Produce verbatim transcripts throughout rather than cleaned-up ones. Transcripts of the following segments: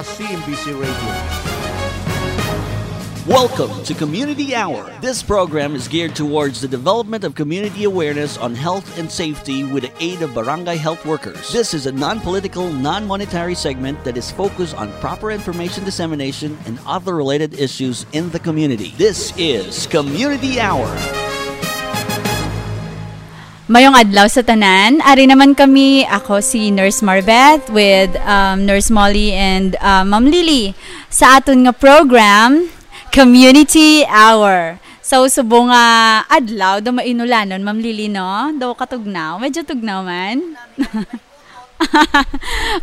C M B C Radio. Welcome to Community Hour. This program is geared towards the development of community awareness on health and safety with the aid of barangay health workers. This is a non-political, non-monetary segment that is focused on proper information dissemination and other related issues in the community. This is Community Hour. Mayong adlaw sa tanan. Ari naman kami, ako si Nurse Marbeth with, um, Nurse Molly and, uh, Ma'am Lily sa aton nga program, Community Hour. Sa usubong nga adlaw, do mainulanon, Ma'am Lily, no? Do katugnaw. Medyo tugnaw man.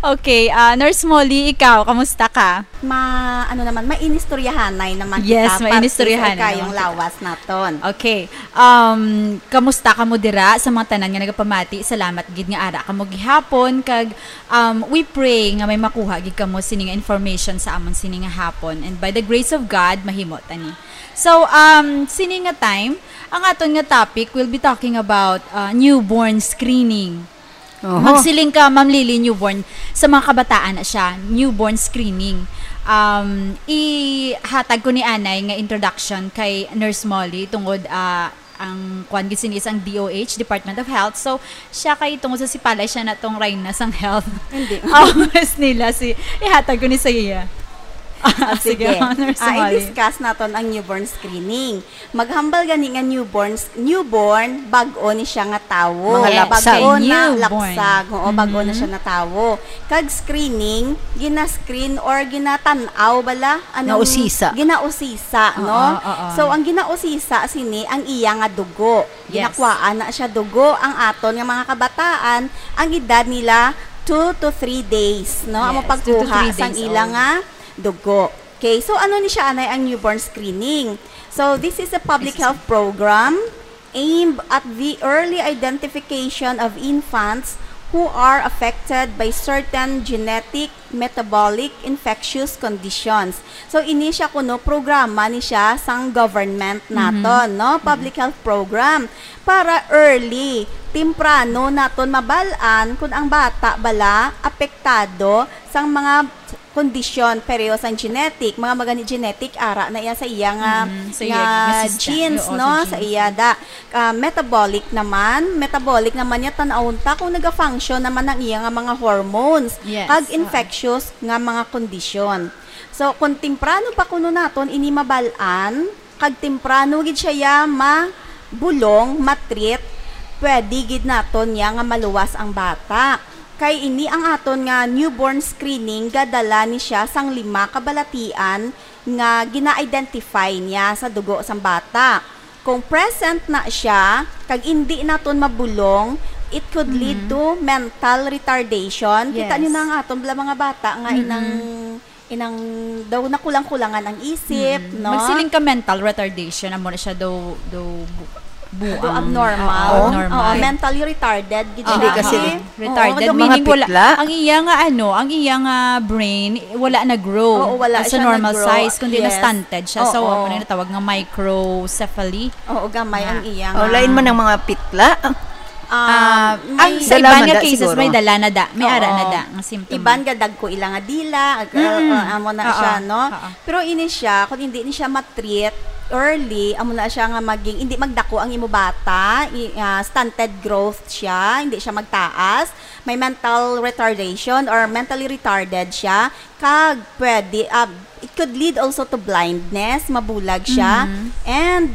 Okay, ah, Nurse Molly, ikaw, kamusta ka? Ma-, ano naman, mainistoryahanay naman Yes, kita, parte sa mainistoryahanay kayong naman kita. lawas naton. Okay. Um, kamusta kamo dira sa mga tanan nga nagapamati? Salamat gid nga ara kamo gihapon kag, um, we pray nga may makuha gid kamo sini nga information sa amon sini nga hapon. And by the grace of God, mahimo ta ni. So, um, sini nga time, ang aton nga topic, we'll be talking about, uh, newborn screening. Oho. Magsiling ka, Ma'am Lily, newborn. Sa mga kabataan na siya, newborn screening. Um, ihatag ko ni anay nga introduction kay Nurse Molly tungod, ah, ang kuan gid sini is ang D O H, Department of Health. So, siya kay tungod sa sipalay siya na tong Reyna sang Health. Hindi. Always nila si ihatag ko ni sa iya. Ah, Ah, sige, sige. Nurse Ah, Molly. i-discuss naton ang newborn screening. Maghambal gani nga newborn, newborn, bag-o ni siya nga tawo. Mga Yes. lapsag. Bag-o na Newborn. lapsag. Oo, bag-o na Mhm. siya na tawo. Kag screening, gina-screen or ginatan-aw bala? Anong Nausisa. Ginausisa, Oo, no? oo. So, ang ginausisa sini ang iya nga dugo. Yes. Ginakuhaan na siya dugo ang aton nga mga kabataan, ang edad nila two to three days, no? Ang Yes, two to mapagkuha three sang days ila old. nga dugo. Okay, so ano ni siya anay ang newborn screening? So, this is a public This is health program aimed at the early identification of infants who are affected by certain genetic, metabolic, infectious conditions. So, ini siya kuno programa ni siya sang government Mhm. naton, no? Mhm. Public health program para early, temprano naton mabal-an kung ang bata bala apektado sang mga kondisyon, pareho sang genetic, mga magani genetic, ara na iya sa iya nga, Mm, sa iya nga nga system. genes, Oo, no? sa Sa genes. iya da. Ah, metabolic naman, metabolic naman niya, tan-awon ta kung naga-function naman ang iya nga mga hormones, Yes, kag oo. infectious nga mga kondisyon. So, kung temprano pa kuno naton ini mabal-an, kag temprano gid siya ya mabulong, matreat, pwede gid naton niya nga maluwas ang bata. Kay ini ang aton nga newborn screening, gadala ni siya sang lima ka balatian nga gina-identify niya sa dugo sang bata. Kung present na siya, kag indi naton mabulong, it could lead Mhm. to mental retardation. Kita Yes. niyo na ang aton bala mga bata nga Mm-mm. inang, inang daw nakulang-kulangan ang isip, Mm. no? Magsiling ka mental retardation, amo na siya daw, daw bu-, Daw buang. abnormal. Oo, abnormal. Oo, mentally retarded gid Ah, siya. Hindi kasi ah. Retarded, Oo, daw meaning wala, mapitla. Ang iya nga ano, ang iya nga brain, wala na-grow Oo, wala sa siya normal nag-grow. size, kundi Yes. na-stunted siya. So, Oo. amo na natawag nga microcephaly. Oo, gamay Ah. ang iya Oh, nga. lain man ang mga pitla. Ah, Ah, may ang sa dala iban man nga da, cases, siguro. may dala na da, may ara na Oo. da nga symptom. Iban nga dagko ila nga dila, ag-, Mm. uh, amo na Oo. siya, no? Oo. Pero ini siya, kung hindi ni siya ma-treat early, amo na siya nga maging, hindi magdako ang imo bata, i-, ah, stunted growth siya, hindi siya magtaas, may mental retardation or mentally retarded siya, kag pwede, ah, it could lead also to blindness, mabulag siya, Mhm. and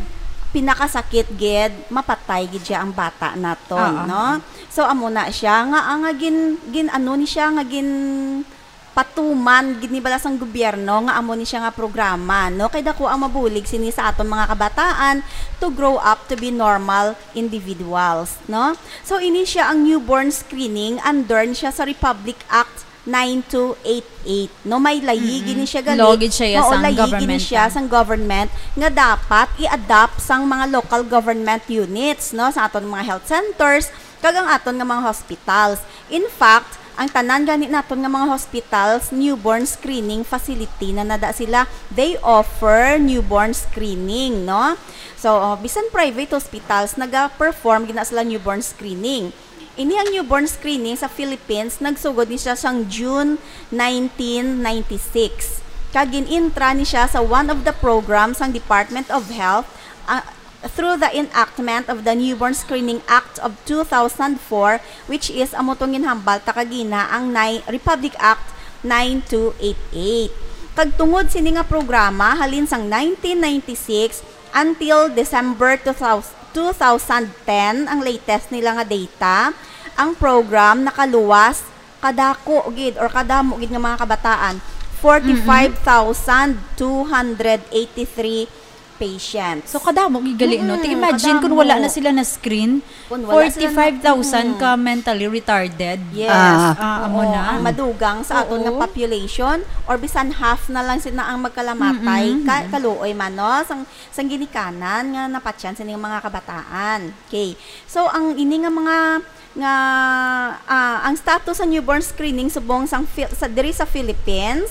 pinakasakit gid, mapatay gid siya ang bata naton, Oo. no? So, amo na siya, nga, ah, nga gin-, gin-, ano ni siya, nga gin-, patuman gid ni bala sang gobyerno nga amo ni siya nga programa, no? Kay dako ang mabulig sini sa aton mga kabataan to grow up to be normal individuals, no? So, ini siya ang newborn screening, under ni siya sa Republic Act nine two eight eight, no? May layi Mm-mm. gini siya gali. Law gid siya Oo, sang layi gini government, siya ah. sang government nga dapat i-adopt sang mga local government units, no? Sa aton mga health centers, kag ang aton nga mga hospitals. In fact, ang tanan gani naton nga mga hospitals, newborn screening facility na nada sila. They offer newborn screening, no? So, oh, bisan private hospitals, naga-perform gina sila newborn screening. Ini ang newborn screening sa Philippines, nagsugod ni siya sang June nineteen ninety-six. Kag gin-intra ni siya sa one of the programs sang Department of Health, ah, through the enactment of the Newborn Screening Act of two thousand four, which is amo tong ginhambal ta kagina ang nine, Republic Act nine two eight eight. Kag tungod sini nga programa, halin sang nineteen ninety-six until December two thousand, two thousand ten, ang latest nila nga data, ang program nakaluwas kadako gid or kadamo gid nga mga kabataan, forty-five thousand two hundred eighty-three patients. So, kadamo gid gali, no? Mm-mm, Ti imagine kung kadamo. Wala na sila na-screen, Kung wala sila na-, forty-five thousand mm. ka mentally retarded. Yes. Ah. Ah, amo Oo, na. Ang madugang sa aton nga Oo. population, or bisan half na lang sila ang magkalamatay, Mm-mm. ka-, kaluoy man, no? Sang, sang ginikanan nga napatyan sa ining mga kabataan. Okay. So, ang ini nga mga nga, ah, ang status sa newborn screening subong sang Phil-, sa, diri sa Philippines,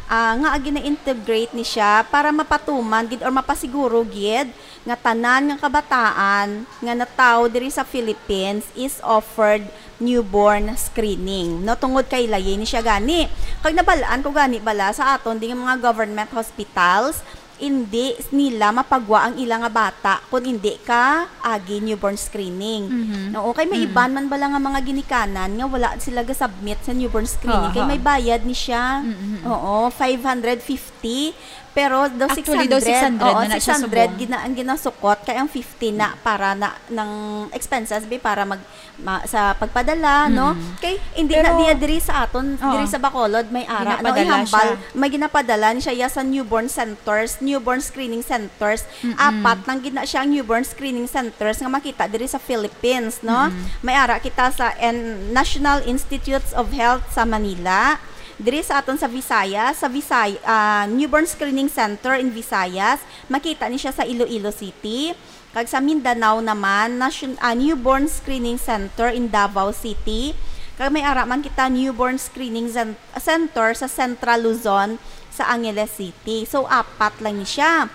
ah, nga gina-integrate ni siya para mapatuman gid or mapasiguro gid nga tanan nga kabataan nga natawo diri sa Philippines is offered newborn screening. No, tungod kay layi ni siya gani. Kag nabalaan ko gani bala sa aton ding mga government hospitals, hindi nila mapagwa ang ila nga bata kung hindi ka agi newborn screening. Mhm. Oo, kay may Mhm. iban man bala nga mga ginikanan nga wala sila ga-submit sa newborn screening, Oo, kay oo. may bayad ni siya. Mhm. Oo, five hundred fifty, pero daw Actually, daw six hundred. six hundred Oo, na na siya six hundred subong. gina-, ang ginasukot, kay ang fifty na para na, ng expenses, be, para mag, ma-, sa pagpadala, no? Mm. Kay hindi na Pero, niya diri sa aton, oo. diri sa Bacolod, may ara, no? Ginapadala Ihambal, siya. may ginapadala ni siya, ya, sa newborn centers, newborn screening centers. Mm-mm. Apat lang gid na siya ang newborn screening centers nga makita diri sa Philippines, no? Mm-mm. May ara kita sa en-, National Institutes of Health sa Manila. Diri sa aton sa Visayas, sa Visay-, ah, Newborn Screening Center in Visayas, makita ni siya sa Iloilo City. Kag sa Mindanao naman, nasyon-, ah, Newborn Screening Center in Davao City. Kag may ara man kita Newborn Screening Cen-, Center sa Central Luzon sa Angeles City. So, apat lang ni siya.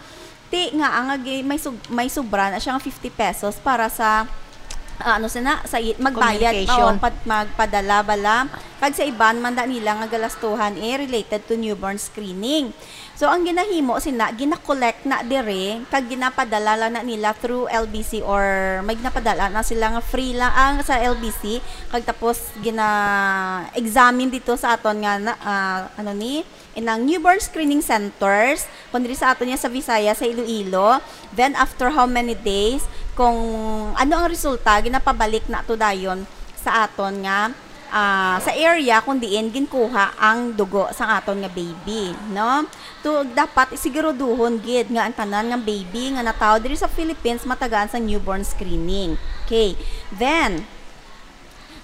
Ti nga ang agi-, may sub-, may sobra na siya nga fifty pesos para sa, ah, ano sina, sa i-, magbayad, Communication. oo, pad-, magpadala bala. Kag sa iban man da nila nga galastuhan, eh, related to newborn screening. So, ang ginahimo sina, gina-collect na dire, kag ginapadala lang na nila through L B C, or may ginapadala na sila nga free lang ang sa L B C, kag tapos gina-examine dito sa aton nga na, ah, ano ni, inang newborn screening centers, kung diri sa aton niya sa Visayas, sa Iloilo, then after how many days, kung ano ang resulta, ginapabalik na to dayon sa aton nga, ah, sa area kung diin ginkuha ang dugo sa aton nga baby, no? To, dapat isiguraduhon gid nga ang tanan nga baby nga natawo diri sa Philippines matagaan sa newborn screening. Okay. Then,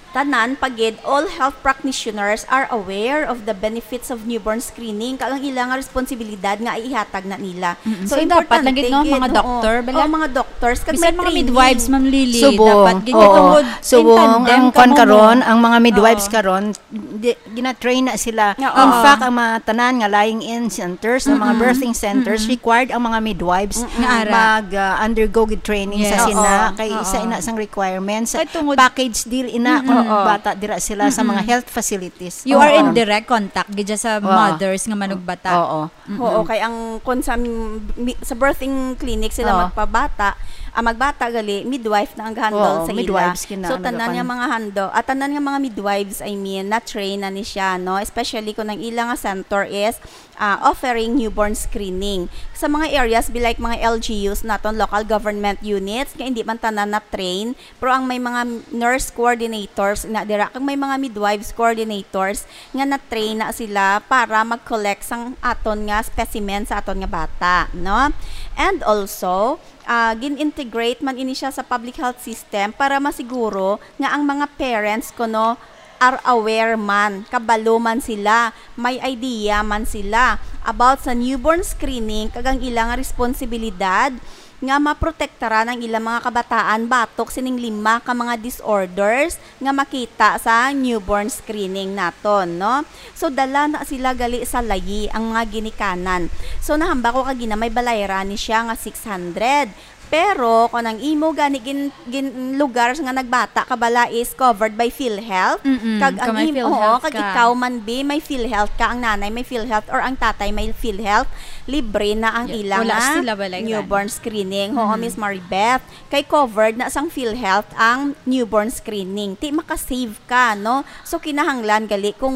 tanan pa gid, all health practitioners are aware of the benefits of newborn screening, kag ang ila nga responsibilidad nga ihatag na nila. Mm-mm. So, So, dapat importante lang gid, no, gid, mga oo. doctor, bala? Oo, mga doctors, kag Bisan may mga training. midwives, Ma'am Lily, Subong. dapat gid Oo. tungod Subong, in tandem ang kwan kamo mo. karon, ang mga midwives Oo. karon, di, gina-train na sila. Oo. In fact, ang mga tanan nga lying-in centers, ang mga Mm-mm. birthing centers, Mm-mm. required ang mga midwives Nga ara. mag, ah, undergo gid training Yes. sa sina, Oo. kay isa Oo. ina sang requirements. Kay tungod Package deal ina Mm-mm. kung Oo. bata dira sila sa mga Mm-mm. health facilities. You are Oo. in direct contact gid sa Oo. mothers nga manugbata. Oo. Mm-mm. Oo, kay ang, kung sa mi-, sa birthing clinic sila Oo. magpabata, ah, magbata gali, midwife na ang handle Oo, sa ila. midwives kina So, ang tanan nagapan- nga mga handle, ah, tanan nga mga midwives, I mean, na-train na ni siya, no? Especially kung ang ila nga center is, ah, offering newborn screening. Sa mga areas, be like mga L G Us naton, local government units, nga hindi man tanan na-train, pero ang may mga nurse coordinators na dira, kag may mga midwives coordinators nga na-train na sila para mag-collect sang aton nga specimen sa aton nga bata, no? And also, ah, gin-integrate man ini siya sa public health system para masiguro nga ang mga parents kuno are aware man, kabalo man sila, may idea man sila about sa newborn screening kag ang ila nga responsibilidad nga maprotektaran ang ilang mga kabataan batok sining lima ka mga disorders nga makita sa newborn screening naton, no? So, dala na sila gali sa layi ang mga ginikanan. So, nahambal ko kagina may balayran ni siya nga six hundred. Pero kung ang imo gani gin, gin lugar nga nagbata ka bala is covered by PhilHealth, Mm-mm, kag ang kung may im-, oo, PhilHealth kag ka. Ikaw man, bi, may PhilHealth ka, ang nanay may PhilHealth or ang tatay may PhilHealth, libre na ang Yeah, ila wala nga sila balay newborn gani. Screening. Oo, Mm-hmm. Miss Maribeth, kay covered na sang PhilHealth ang newborn screening. Ti makasave ka, no? So, kinahanglan gali kung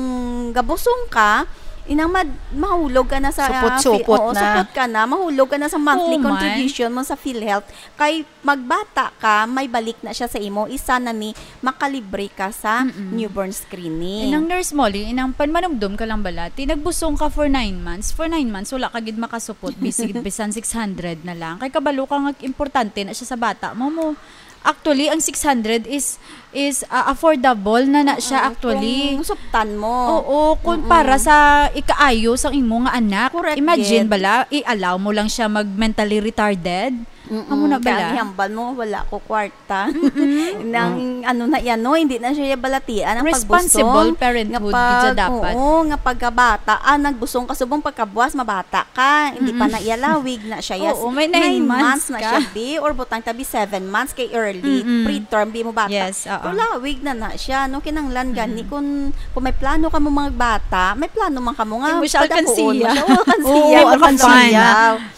gabusong ka, inang mad-, mahulog ka na sa, ah, Supot-supot fi-, oo, na. Supot ka na, mahulog ka na sa monthly Oh, man. Contribution mo sa PhilHealth. Kay magbata ka, may balik na siya sa imo. Isa na ni, makalibre ka sa Mm-mm. Newborn screening. Inang Nurse Molly, inang panmanumdom ka lang bala, ti nagbusong ka for nine months. For nine months, wala ka gid makasupot, bisig, bisan six hundred na lang. Kay kabalo ka nga importante na siya sa bata mo, mo. Actually, ang six hundred is, is, ah, affordable na na siya, Mm-mm. Actually. Kung suptan mo. Oo, kung Mm-mm. Para sa ikaayo sang imo nga anak. Correct, Imagine gid. Bala, i-allow mo lang siya mag mentally retarded. Mm-mm. Amo na bala. Kaya ang hambal mo, wala ko kwarta. Mm-mm. Nang Mm. ano na yan, no? Hindi na siya balatian ang Responsible pagbusong parenthood, nga pag-, gid siya dapat. Oo, nga pagkabata. Ah, nagbusong ka subong pagkabuas, mabata ka. Hindi pa Mm-mm. Na iyalawig na siya. Yes. Oo, may nine Nine months months na ka. Siya, bi, or butang tabi seven months kay early. Mm-mm. Preterm, bi mo bata. Yes, oo. Pero lawig na na siya, no? Kinanglan gani Mm-mm. Kung, kung may plano ka mo mga bata, may plano man ka mo nga Hindi mo siya padakuon mo alkansiya. Siya. Oo, alkansiya. Oo, alkansiya.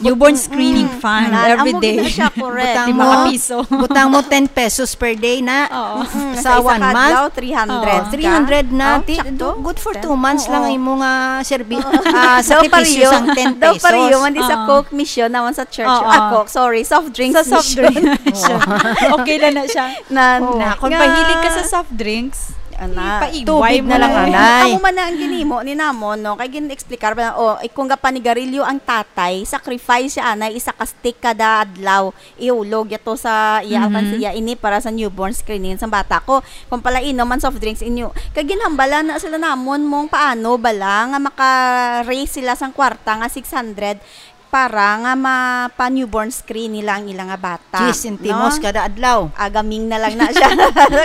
Newborn screening Mm-mm. Fund, Na, every amo day. Gid na siya, correct. Butang Di mo, makapiso. Butang mo ten pesos per day na. Oo. Mm-mm. Sa Sa isa one ka month. Adlaw, three hundred Oo. Ka. Three hundred na. Oh, ti-, sakto. Do-, good for Ten. Two months Oo. Lang ang imo nga serbi-, Oo. Ah, daw sakripisyo pariyo, sang ten pesos. Daw pariyo, man di sa Oo. Coke mission, naman sa church. Oo. Ah, Coke, sorry, soft drinks mission. Sa soft drinks mission. Oo. Okay lang na siya. Na, Oo. Na, kung nga mahilig ka sa soft drinks, Ana. Ipaigway Tubig mo na lang, na. Anay. Amo man na ang ginimo ni namon, no? Kay gin-explicar ba, oh, eh, kung gapanigarilyo ang tatay, sacrifice siya, anay, isa ka stick kada adlaw. Ihulog yato sa iya, Mhm. Alkansiya, ini para sa newborn screening sa bata ko. Kung pala inom ang soft drinks inyo. Kay ginhambala na sila namon mong paano bala nga maka-raise sila sang kwarta nga six hundred para nga mapa-newborn screen nila ang ila nga bata, Diyes sentimos no? Kada adlaw. Agaming na lang na siya.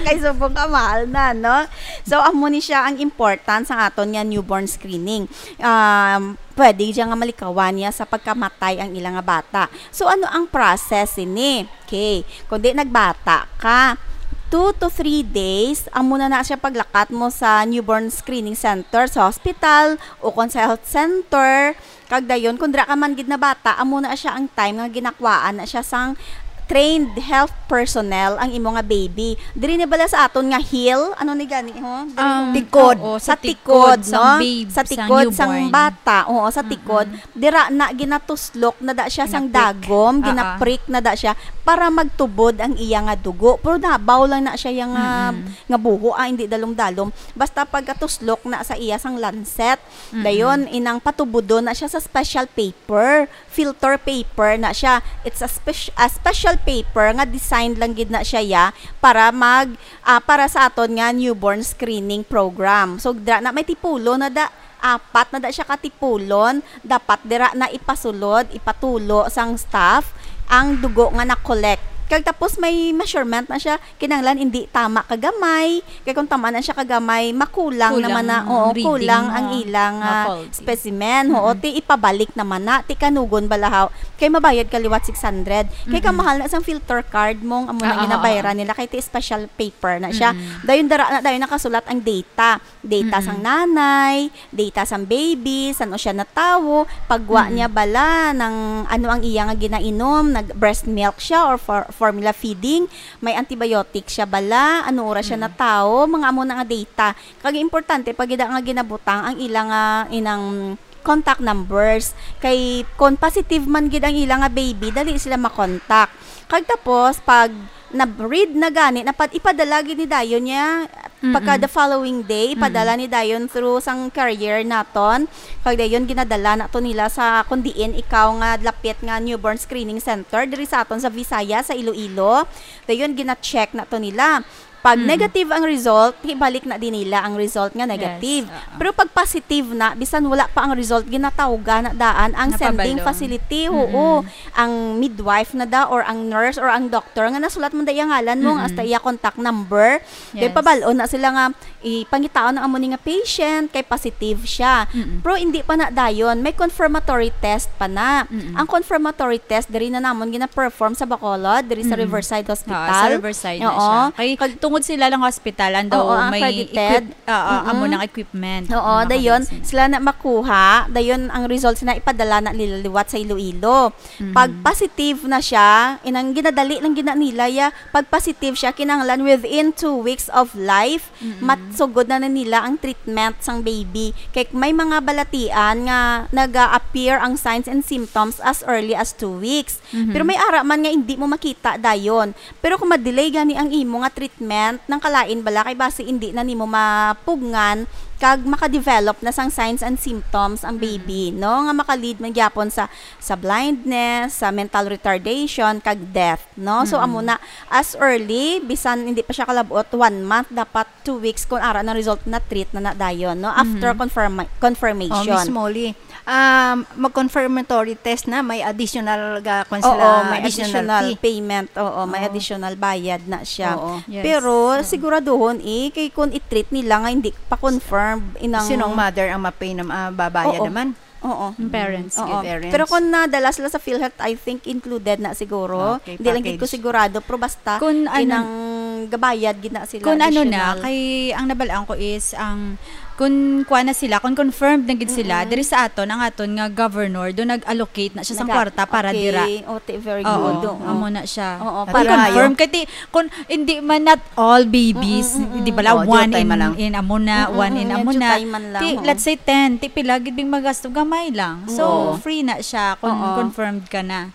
Kay subong ka, mahal na, no? So, amo ni siya ang importance sang aton nga newborn screening. Um, pwede siya nga malikawan niya sa pagkamatay ang ila nga bata. So, ano ang process ini? Okay, kung di nagbata ka, two to three days, amo na na siya paglakat mo sa newborn screening center sa hospital o kung sa health center. Kag dayon, kung dira ka man gid na bata, amo na siya ang time nga ginakwaan na siya sang trained health personnel ang imo nga baby. Diri na bala sa aton nga heel, ano ni gani, ho? Diri, Um, ho? Tikod. Oo, sa Sa tikod, tikod sang no? Babe, sa sa tikod sang newborn. Bata, oo, sa Mm-mm. Tikod. Dira na ginatuslok na da siya sang Ginaprick. Dagom, Ah, ah. Ginaprick na da siya para magtubod ang iya nga dugo. Pero nabaw lang na siya yang, ah, Mm-mm. Nga buho, ah, hindi dalom-dalom. Basta pagkatuslok na sa iya sang lancet, Mm-mm. Dayon, inang patubudon na siya sa special paper. Filter paper na siya. It's a spec-, a special paper nga designed lang gid na siya ya para mag, ah, para sa aton nga newborn screening program. So, dira na may tipulon na da, apat na da siya ka tipulon. Dapat dira na ipasulod, ipatulo sang staff ang dugo nga na-collect. Kag tapos may measurement na siya, kinahanglan hindi tama kagamay. Kay kung tama na siya kagamay, makulang Kulang naman na, ang oo, reading kulang mo ang ilang, nga ah, faulty. Specimen. Oo, Mm. Ti ipabalik naman na, ti kanugon balahaw. Kay mabayad ka liwat six hundred. Kay Mm-mm. Kamahal na sang filter card mong amo na Ah, ah, ginabayaran ah. Nila, kay ti special paper na siya. Mm-mm. Dayon dara na, dayon nakasulat ang data. Data Mm-mm. Sang nanay, data sang baby, san-o siya natawo, pagwa Mm-mm. Niya bala, nang ano ang iya nga ginainom, nag breast milk siya or for-, formula feeding, may antibiotic siya bala, ano oras siya Mm. Natawo, mga amo na nga data. Kag importante pa gid nga ginabutang ang ila nga inang contact numbers. Kay kon positive man gid ang ila nga baby, dali sila makontak. Kag tapos, pag na-breed na gani, napad-, ipadala gid ni dayon niya, pagka Mm-mm. The following day, ipadala Mm-mm. Ni dayon through sang carrier naton. Kag dayon, ginadala nato nila sa kung diin ikaw nga lapit nga newborn screening center, diri sa aton sa Visayas, sa Iloilo. Dayon, gina-check nato nila. Pag Mm. negative ang result, ibalik na din nila ang result nga Yes, negative. oo. Pero pag positive na, bisan wala pa ang result, ginatawgan na daan ang sending Napabalo. facility. Mm-mm. Oo. Ang midwife na da, or ang nurse, or ang doctor nga nasulat man da iya ngalan mo, Mm-mm. hasta iya contact number. Then Yes. pabal-on na sila nga, ipangitaon ang amo ni nga patient kay positive siya. Mm-mm. Pero hindi pa na dayon, may confirmatory test pa na. Mm-mm. Ang confirmatory test, diri na namon gina-perform sa Bacolod, diri sa Mm-mm. Riverside Ah, Hospital. sa Riverside na Oo. siya. Kay Kag- tungod sila lang hospital, ang daw Oo, ang may accredited. equip-, ah, ah, amo Mm-mm. nang equipment. Oo, Ang dayon, nakabisin. sila na makuha, dayon ang results na ipadala na nila liwat sa Iloilo. Mhm. Pag positive na siya, inang ginadali lang gina nila ya, pag positive siya, kinahanglan within two weeks of life, Mm-mm. matsugod na, na nila ang treatment sang baby. Kay may mga balatian nga naga-appear ang signs and symptoms as early as two weeks. Mhm. Pero may ara man nga hindi mo makita dayon. Pero kung ma-delay gani ang imo nga treatment, nang kalain bala kay basi hindi na nimo mapugngan kag maka-develop na sang signs and symptoms ang Mm. baby, no? Nga maka-lead man gyapon sa, sa blindness, sa mental retardation, kag death, no? So, Mm. amo na, as early, bisan hindi pa siya kalabot, one month, dapat two weeks, kung ara na result na treat na na dayon, no? After Mhm. confirma-, confirmation. Oh, Miss Molly, um, mag-confirmatory test na, may additional ga-, kwan Oo, sila, may additional additional fee. payment. Oo, may Oo. additional bayad na siya. Oo. Yes. Pero Mm. siguraduhon, eh, kay kung i-treat nila nga hindi pa confirmed, inang Sinong mother ang ma-pay na, ah, babayad Oo. naman? Oo. Yung parents, Oo. good. Parents. Pero kung nadala sila sa PhilHealth, I think included na siguro. Okay, Hindi lang gid ko package. sigurado, pero basta Kung ano, inang gabayad gid na sila kung ano na, additional. kay ang nabalaan ko is ang kung kuha na sila, kung confirmed na gid sila, Mm-mm. diri sa aton, ang aton nga governor, do nag-allocate na siya sang Naga-, kwarta para okay. dira. O, ti-, very Oo, good. Oo. amo na siya. Oo, At para confirm, kay ti-, kung hindi man not all babies, Mm-mm, mm-mm. di ba la, Oh, one jutay in, man lang. in amo na, Mm-mm, one in mm-mm, amo na. jutay man lang, Ti, oo. let's say ten, ti pila gid bing magasto, gamay lang. So, Oo. free na siya kung Oo. confirmed ka na.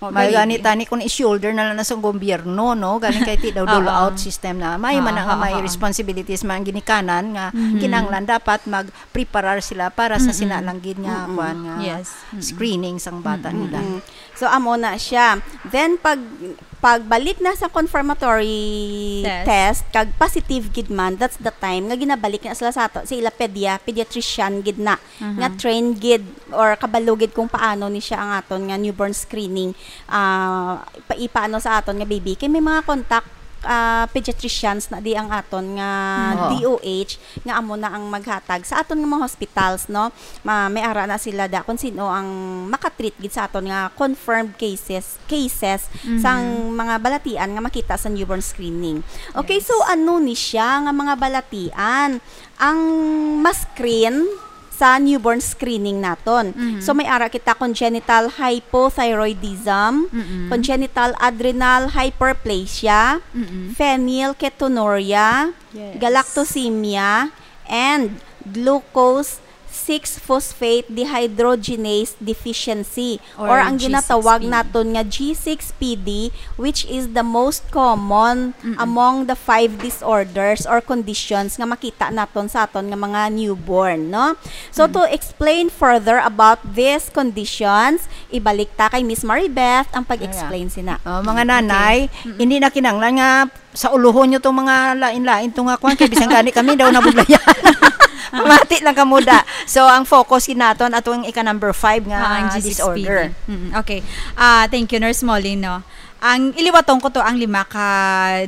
O, May gani gani. tani kung i-shoulder na lang na sa gobyerno, no? Galing kay ti daw Oo. dole out system na. May Oo, man nga oo, may oo. responsibilities man ginikanan nga Mhm. kinahanglan dapat mag-preparar sila para sa Mm-mm. sina lang gid nga Mm-mm. kwan nga Yes. Mm-mm. screening sang bata Mm-mm. nila. Mm-mm. So, amo na siya. Then, pag, pagbalik na sa confirmatory Test. test, kag positive gid man, that's the time nga ginabalik na sila sa ato, sa ila pedia-, pediatrician gid na, Aha. nga trained gid or kabalo gid kung paano ni siya ang aton nga newborn screening, ah, pa-, ipaano sa aton nga baby. Kay may mga contact, ah, pediatricians na di ang aton nga Oo. D O H, nga amo na ang maghatag sa aton nga mga hospitals, no? Ma-, may ara na sila da kung sino ang makatreat gid sa aton nga confirmed cases, cases Mhm. sang mga balatian nga makita sa newborn screening. Okay, Yes. so ano ni siya nga mga balatian ang ma-screen sa newborn screening naton? Mhm. So may ara kita congenital hypothyroidism, Mm-mm. congenital adrenal hyperplasia, Mm-mm. phenylketonuria, Yes. galactosemia, and glucose six phosphate dehydrogenase deficiency, or, Or ang ginatawag G six P D. naton nga G six P D, which is the most common Mm-mm. among the five disorders or conditions nga makita naton sa aton nga mga newborn, no? So, Mm. to explain further about these conditions, ibalik ta kay Miss Maribeth ang pag-explain Ayan. sina. Oh, mga nanay, Okay. Mm-mm. hindi na kinahanglan nga sa uluhon nyo tong mga lain-lain to nga kwan, kay bisan gani kami daw nabudlayan. Pamati lang kamo da. So, ang focus gid naton atong ika number five nga Ah, ang G six P D. disorder. Mm, okay. Ah, thank you, Nurse Molly, no. Ang iliwaton ko to ang lima ka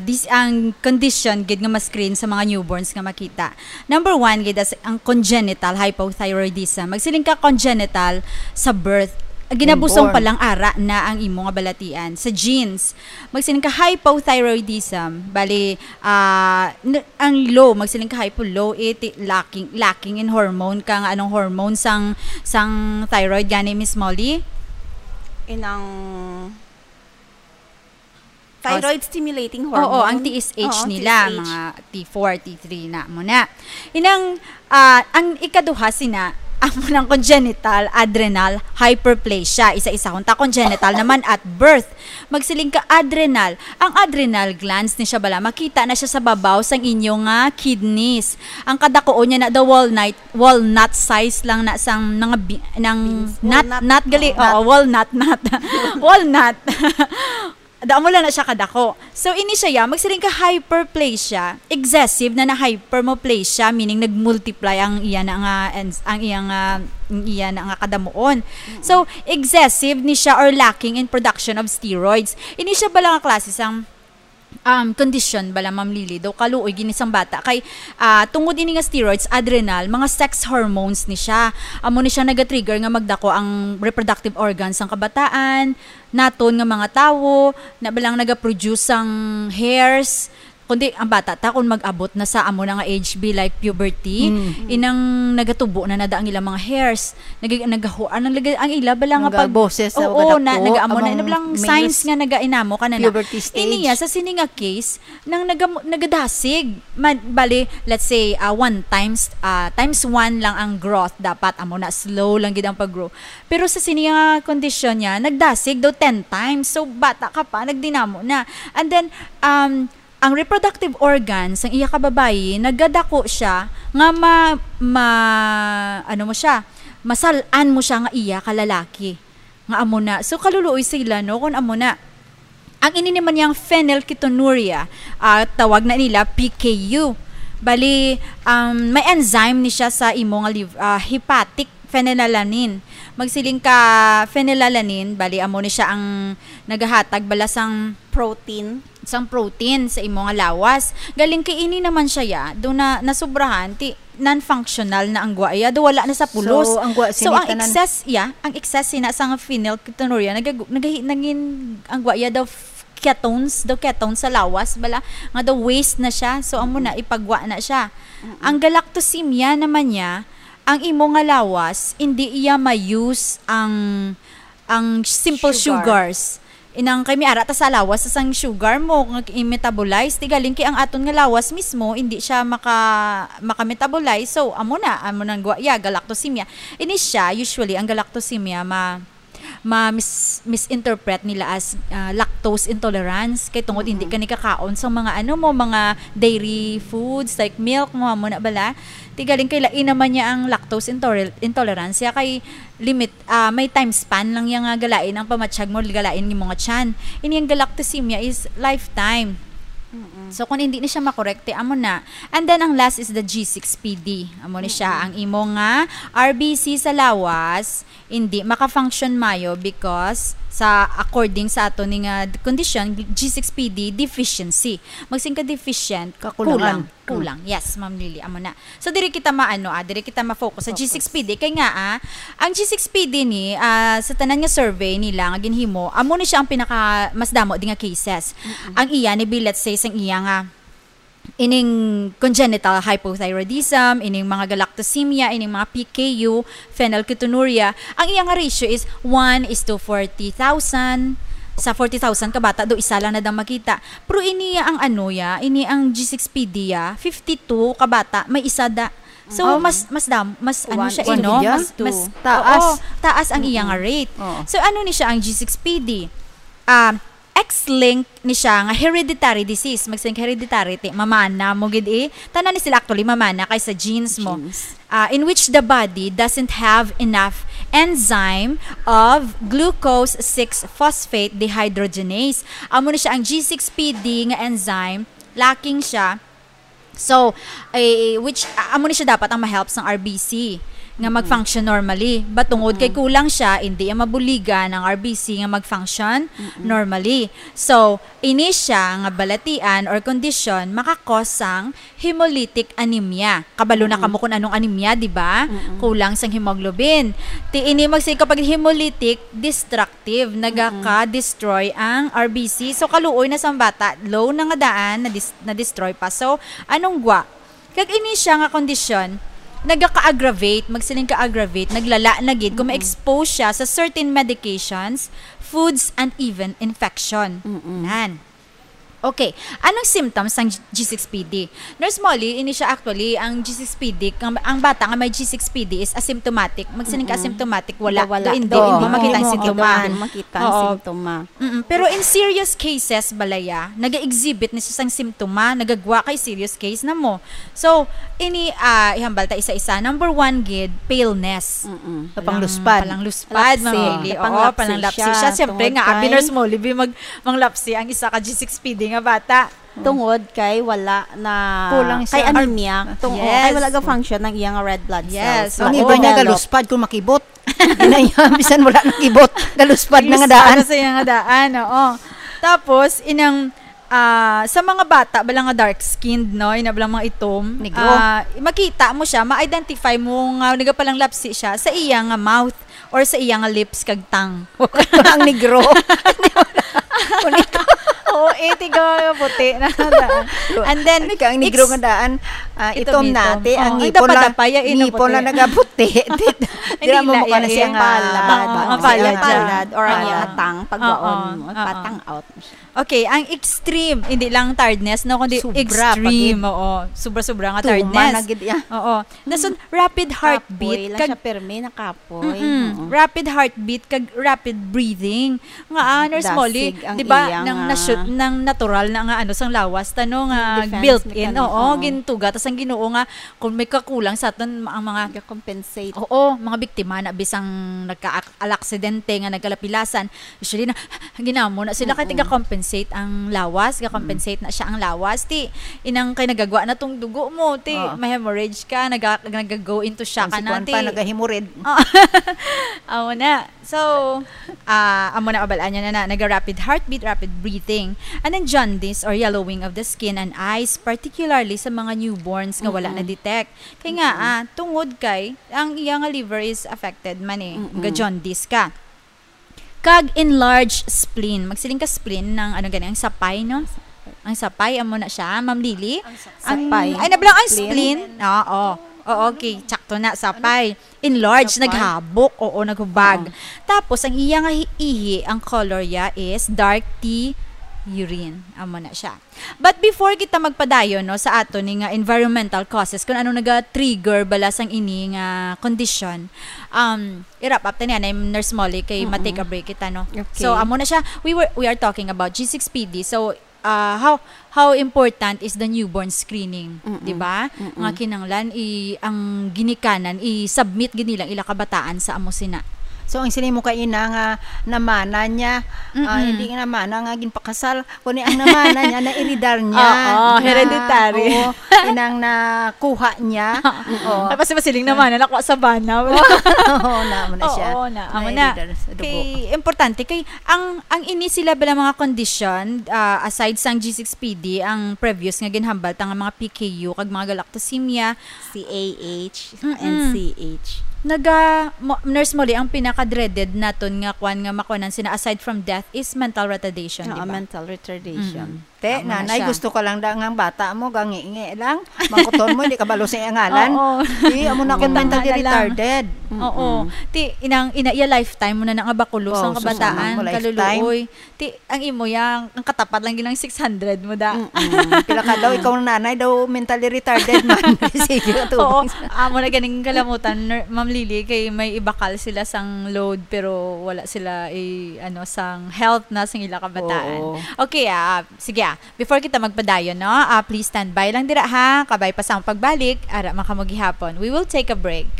dis-, ang condition gid nga ma-screen sa mga newborns nga makita. Number one gid as ang congenital hypothyroidism. Magsiling ka congenital sa birth. Ginabusong Inborn. pa lang ara na ang imo nga balatian sa genes. Magsiling ka hypothyroidism, bali, ah, n-, ang low, magsiling ka hypo, low, eh, ti-, lacking, lacking in hormone ka, nga anong hormone sang, sang thyroid gani, Miss Molly? Inang Oh, thyroid stimulating hormone. Oo, ang T S H Oo, nila, T S H. mga T four, T three na mo na. Inang, ah, ang ikaduha sina, amo nang congenital adrenal hyperplasia. Isa-isa, kung ta congenital naman at birth. Magsiling ka adrenal. Ang adrenal glands ni siya bala, makita na siya sa babaw sang inyo nga kidneys. Ang kadakuon niya na the walnut, walnut size lang na sang mga bi-, ng Beans. nut, Walnut. nut gali. Oo. Oo, walnut, nut. Walnut. Damo lang na siya kadako. So, ini siya, ya, magsiling ka hyperplasia, excessive na na hypermoplasia, meaning nag-multiply ang iya na nga, ang iya nga, ang iya na nga kadamuon. So, excessive ni siya or lacking in production of steroids. Ini siya bala nga klase sang, um, condition bala, Ma'am Lily, daw kaluoy gini sang bata kay, ah, tungod ini nga steroids, adrenal, mga sex hormones ni siya. Amo ni siya nagatrigger nga magdako ang reproductive organs sang kabataan, naton nga mga tawo, na balang nagaproduce sang hairs, kundi ang bata ta kung mag-abot na sa amo na nga age be like puberty, Mm. inang nagatubo na nada ang ilang mga hairs. Nag-, nagahuan ang, laga-, ang ila bala nga pag Nagaboses na Oo, na, kadako nagaamo na, among ina balang signs males. Nga nagainamo ka na na. Puberty stage. Iniya, sa sini nga case, nang naga-, nagadasig. Man, bali, let's say, ah, one times, ah, times one lang ang growth dapat. Amo na, slow lang gid ang pag-grow. Pero sa sini nga kondisyon niya, nagdasig daw ten times. So, bata ka pa, nagdinamo na. And then, um, ang reproductive organs sang iya ka babayi, nagadako siya nga ma-, ma-, ano mo siya, masalan mo siya nga iya ka lalaki. Nga amo na. So, kaluluoy sila, no, kung amo na. Ang ini naman yang phenylketonuria, ah, tawag na nila P K U. Bali, um, may enzyme ni siya sa imo nga liv-, ah, hepatic phenylalanine. Magsiling ka phenylalanine, bali, amo ni siya ang nagahatag bala sang Protein. sang protein sa imo nga lawas. Galing kay ini naman siya, ya, do na nasubrahan, ti non-functional na ang guwaya, do wala na sa pulos. So, ang gwa-, So, ang sini tanan excess, ya, ang excess sina sa nga phenylketonuria, nagagu-, nagahi-, nangin, ang guwaya daw f-, ketones, daw ketones sa lawas, bala, nga daw waste na siya. So, amo na, ipagwa na siya. Ang galactosemia naman niya, ang imo nga lawas, hindi iya ma-use ang, ang simple Sugar. sugars. Inang kay may ara ta sa lawas sa sang sugar mo nga i-metabolize, ti galing kay ang aton nga lawas mismo hindi siya maka-, maka-metabolize. So, amo na, amo nang gwa-, ya, galactosemia. Ini siya, usually, ang galactosemia ma-, ma-mis-, misinterpret nila as, ah, lactose intolerance. Kay tungod hindi Mm-mm. ka nikakaon sa mga ano mo, mga dairy foods like milk mo, amo na bala. Ti galing kay lain naman niya ang lactose intoler-, intolerance. Ya kay limit, ah, may time span lang yang, ah, galain ang pamatyag mo, galain nga mga tiyan. Ini ang galactosemia is lifetime. Mm-mm. So, kung hindi ni siya makorekte, amo na. And then, ang last is the G six P D. Amo ni siya, Mm-mm. ang imo nga R B C sa lawas, hindi maka-function mayo because sa, according sa ato ni nga condition, G six P D deficiency. Magsin ka deficient, Kakulangan. kulang. Kulang. Yes, Ma'am Lily, amo na. So, diri kita maano, ah, diri kita ma-focus sa Focus. G six P D. Kay nga, ah, ang G six P D ni, ah, sa tanan nga survey nila nga ginhimo, amo ni siya ang pinaka mas damo di nga cases. Mm-mm. Ang iya ni bi, let's say, sang iya nga ining congenital hypothyroidism, ining mga galactosemia, ining mga P K U, phenylketonuria, ang iya nga ratio is one is to forty thousand. Sa forty thousand ka bata, do isa lang na dang makita. Pero ini ang ano ya, ini ang G six P D ya, fifty-two ka bata, may isa da. So, Oh. mas, mas dam-, mas ano One siya, is to no? fifty-two. Mas, mas, Taas. oo, taas ang iya nga Mm-mm. rate. Oo. So, ano ni siya ang G six P D? Um, X-linked ni siya nga hereditary disease. Magsiling ka hereditary, ti, mamana mo gid eh. Tanan ni sila actually mamana kay sa genes mo. Genes. Ah, in which the body doesn't have enough enzyme of glucose six phosphate dehydrogenase. Amo ni siya ang G six P D nga enzyme, lacking siya. So, eh, which, a-, amo ni siya dapat ang ma-help sang R B C nga Mm-mm. mag-function normally. But tungod kay Mm-mm. kulang siya, hindi ang mabuligan ang R B C nga mag-function Mm-mm. normally. So, ini siya nga balatian or kondisyon maka-cause sang hemolytic anemia. Kabalo na Mm-mm. kamo kung anong anemia, di ba? Mm-mm. Kulang sang hemoglobin. Ti ini magsi-, kapag hemolytic, destructive, Mm-mm. nagaka-destroy ang R B C. So, kaluoy na sang bata, low na nga daan, na-dis-, na-destroy pa. So, anong gwa? Kag ini siya nga kondisyon, nagaka-aggravate, magsiling ka aggravate, naglala na gid kung Mm-mm. ma-expose siya sa certain medications, foods, and even infection. Mm-mm. Nan. Okay, anong symptoms sang G six P D? Nurse Molly, ini siya actually, ang G six P D, ang, ang bata nga may G six P D is asymptomatic. Magsiling ka Mm-mm. asymptomatic, wala. Wala. Do, hindi, Do, hindi mo makita ang hindi mo sintoma. Hindi makita ang Oo. sintoma. Mm-mm. Pero in serious cases, balaya, nag-exhibit ni siya sang sintoma, nagagwa kay serious case na mo. So, ini, ah, ihambal ta isa-isa. Number one gid, paleness. Mm-mm. Sa pangluspad. Palang-, palangluspad, Lapsi. Ma'am Lily. Sa Oo, panglapsi palanglapsi siya. siya. Siyempre Tungod nga, abi kay Nurse Molly, bi mag-, manglapsi ang isa ka G six P D nga bata. Tungod kay wala na, Kulang kay siya. anemia. Tung-, Yes. kay wala ga function ang iyang red blood Yes. cells. Ang Wala iba niya develop. galuspad kung makibot. Yun na yun, bisan wala nakibot. Galuspad na nga Galuspad daan. na sa iya nga daan, oo. Tapos, inang, ah, sa mga bata, bala nga dark-skinned, no? Ina bala mga itom. Negro. Ah, makita mo siya, ma-identify mo nga nagapalanglapsi siya sa iya nga mouth or sa iya nga lips kag tongue. Ang negro. Kunito. Oo, eh, tiga puti na daan. And then, Ano ka, ang negro ex-, nga daan, ah, itom itom-itom. na, te, ang Oo, ang ngipon lang, dapa-dapa, ya, ino ngipon puti. lang nagaputi. Dira Hindi mo la, mukha ya, na siya ya. nga Palad. ba-, Oo, ba-, mapalad siya siya. nga palad or ang Oo. iyang atang, pagbaon Oo, mo, oo. patang out mo siya. Okay, ang extreme, hindi lang tiredness, no, kundi Sobra pa extreme, gid. oo. Sobra-sobra nga Tuma tiredness. na gid, ya. Oo. Dason, rapid heartbeat, Kapoy lang kag siya, pirmi, nakapoy. Mm-mm. Oo. Rapid heartbeat kag rapid breathing. Nga, ah, Nurse Molly, Dasig ang di ba, iyang, nang ah, na-shoot, nang natural na nga, ano, sang lawas, ta, no, nga Defense built-in, mechanism, oo, oo. gintuga, tas ang Ginoo nga, kung may kakulang sa aton, ang mga Ga-compensate. Oo, mga biktima na bisang nagka-aksidente nga nagkalapilasan, usually na, ginamo na sila kay Mm-mm. tiga-compensate ang lawas, ga-compensate Mm. na siya ang lawas. Ti, inang kay nagagwa na tong dugo mo, ti, Oo. ma-hemorrhage ka, naga-, nag-go into shock Ang ka si na, Kwan ti. pa, nagahimurid. Oo. Amo na. So, ah, amo na, abalaan niya na, na, naga-rapid heartbeat, rapid breathing. And then jaundice or yellowing of the skin and eyes, particularly sa mga newborns nga wala Mm-mm. na-detect. Kay nga, Mm-mm. ah, tungod kay, ang iya nga liver is affected man eh, Mm-mm. ga-jaundice ka. Kag enlarged spleen. Magsiling ka spleen ng ano gani, ang sapay, no? Ang sapay, amo na siya, Ma'am Lily. Ang sapay. Ang, ay, nablang ang Spleen? spleen. Oo. Oo, okay. Tsakto na, sapay. Enlarged, Sapay? naghabok. Oo, naghubag. Oo. Tapos, ang iya nga hi-, ihi, ang color niya is dark tea urine. Amo na siya. But before kita magpadayon, no, sa ato ni nga environmental causes, kung ano naga-trigger bala sang ini nga condition, um, i-wrap up ta niya na yung Nurse Molly kay Mm-mm. ma-take a break kita, no? Okay. So, amo na siya. We were, we are talking about G six P D. So, uh, how, how important is the newborn screening, Mm-mm. di ba? Mm-mm. Nga kinanglan i-, ang ginikanan, i-submit gid nila ila kabataan sa amo sina. So, ang sini mo kay ina nga namana niya, ah, Mm-mm. hindi nga namana nga ginpakasal, kundi ang namana niya, na-eredar niya. Oo, Na, hereditary. oo, inang nakuha niya. Oo. Tapos masiling Oo. namana, nakuha sa bana. Oo, na, amo na siya. Oo, na, amo na. Na-eredar sa dugo. Kay, importante, kay ang, ang ini sila bala mga condition, ah, aside sang G six P D, ang previous nga ginhambal ta nga mga P K U, kag mga galactosemia, C A H, Mm-mm. N C H. Naga, mo, Nurse Molly, ang pinaka-dreaded naton nga kwan nga makuanan sina aside from death is mental retardation, Oo, di ba? mental retardation. Mm-mm. Te, Amo na nanay, siya. gusto ka lang da nga ang bata mo, gangi-ngi lang. Mangkuton mo, hindi ka balo sa iyang ngalan. Oo. Di, amo na akong Kita mentally nga na lang. retarded. Oo. Mm-mm. Ti, inang, ina, iya lifetime mo na na nga bakulos Oo, ang sus, kabataan, ang mo lifetime. kaluluoy. Ti, ang imo yang, ang katapat lang yun ang six hundred mo da. Mm-mm. Pila ka daw, ikaw ang nanay daw, mentally retarded man. Sige, Oo, tubang. amo na ganing kalamutan, Ner-, Ma'am Lily, kay may ibakal sila sang load, pero wala sila, eh, ano, sang health na sang ila kabataan. Oo. Okay, ah, sige, ah, before kita magpadayon, no, ah, please stand by lang dira, ha, kabay pa sa among pagbalik, ara man kamo gihapon. We will take a break.